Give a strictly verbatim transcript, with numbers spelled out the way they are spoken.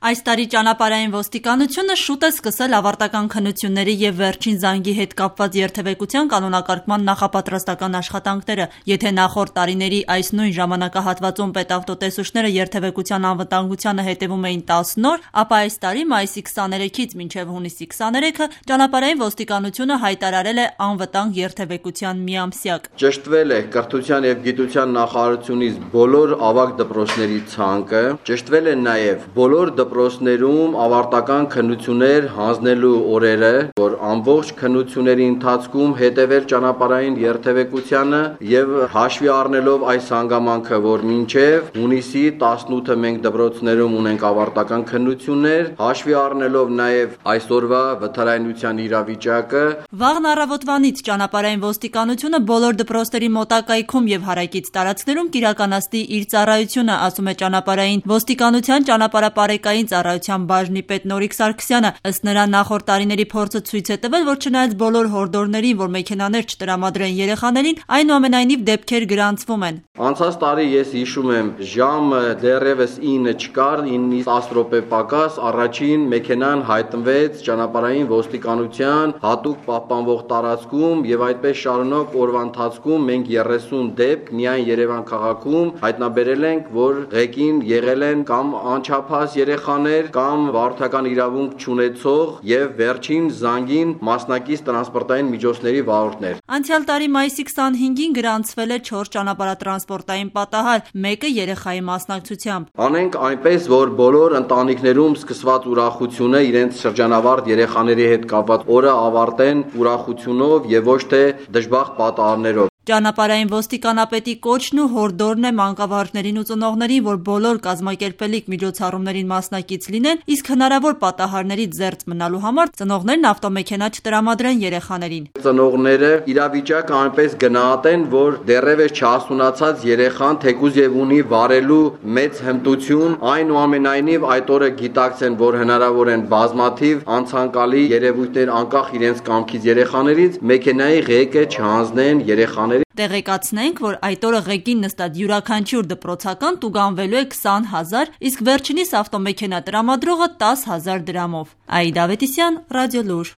Այս տարի ճանապարհային ոստիկանությունը շուտ է սկսել ավարտական քննությունների և վերջին զանգի հետ կապված երթևեկության կանոնակարգման նախապատրաստական աշխատանքները։ Եթե նախորդ տարիների այս նույն ժամանակահատվածում պետավտոտեսուչները երթևեկության անվտանգությանը հետևում էին տասն օր, ապա այս տարի մայիսի քսաներեքից մինչև հունիսի քսաներեքը ճանապարհային ոստիկանությունը հայտարարել է անվտանգ երթևեկության միամսյակ։ Ճշտվել է կրթության և գիտության նախարարությունից բոլոր ավագ դպրոցների ցանկը, ճշտվել է նաև բոլոր դպրոցներում ավարտական քննություններ հանձնելու օրերը, որ ամբողջ քննությունների ընթացքում հետևել ճանապարհային երթևեկությանը եւ հաշվի առնելով այս հանգամանքը, որ մինչեւ հունիսի տասնութը մենք դպրոցներում ունենք ավարտական քննություններ, հաշվի առնելով նաև այսօրվա վթարայնության իրավիճակը։ Վաղն առավոտվանից ճանապարհային ոստիկանությունը բոլոր դպրոցների մոտակայքում եւ հարակից տարածքներում կիրականացնի իր ծառայությունը, ասում է ճանապարհային ոստիկանության ճանապարհապարեկային ծառայության բաժնի պետ Նորիկ Սարգսյանը։ Ըստ նրա, նախորդ տարիների փորձը ցույց է տվել, որ չնայած բոլոր հորդորներին, որ մեքենաներ չտրամադրեն երեխաներին, այնուամենայնիվ դեպքեր գրանցվում են։ Անցած տարի ես հիշում եմ, ժամը դեռևս ինը չկար, ինից տասը րոպե պակաս առաջին մեքենան հայտնվեց ճանապարհային ոստիկանության հատուկ պահպանվող տարածքում եւ այդպես շարունակ օրվա ընթացքում մենք երեսուն դեպք միայն Երևան քաղաքում հայտնաբերել ենք, որ ղեկին եղել են կամ անչափահաս երեխաներ կամ վարորդական իրավունք չունեցող եւ վերջին զանգին մասնակից տրանսպորտային միջոցների վարորդներ։ Անցյալ տարի մայիսի քսանհինգին գրանցվել է չորս ճանապարհատրանսպորտային պատահար, մեկը երեխայի մասնակցությամբ։ Անենք այնպես, որ բոլոր ընտանիքներում սկսված ուրախությունը իրենց շրջանավարտ երեխաների հետ կապված օրը ավարտեն ուրախությունով եւ ոչ թե դժբախտ պատահարներով։ Ճանապարհային ոստիկանապետի կոչն ու հորդորն է մանկավարժներին ու ծնողներին, որ բոլոր կազմակերպելիք միջոցառումներին մասնակից լինեն, իսկ հնարավոր պատահարներից զերծ մնալու համար ծնողներն ավտոմեքենա չտրամադրեն երեխաներին։ Ծնողները իրավիճակը այնպես գնահատեն, որ դեռևս չհասունացած երեխան թեկուզ եւ ունի վարելու մեծ հմտություն, այնուամենայնիվ այդ օրը գիտակցեն, որ հնարավոր են բազմաթիվ անցանկալի երևույթներ անկախ իրենց կամքից երեխաներից մեքենայի ղեկը չհանձնեն երեխաներին։ Տեղեկացնենք, որ այդ օրը ղեկին նստած յուրաքանչյուր դպրոցական տուգանվելու է քսան հազար, իսկ վերջինիս ավտոմեքենա տրամադրողը տասը հազար դրամով։ Աիդա Ավետիսյան, Ռադիոլուր։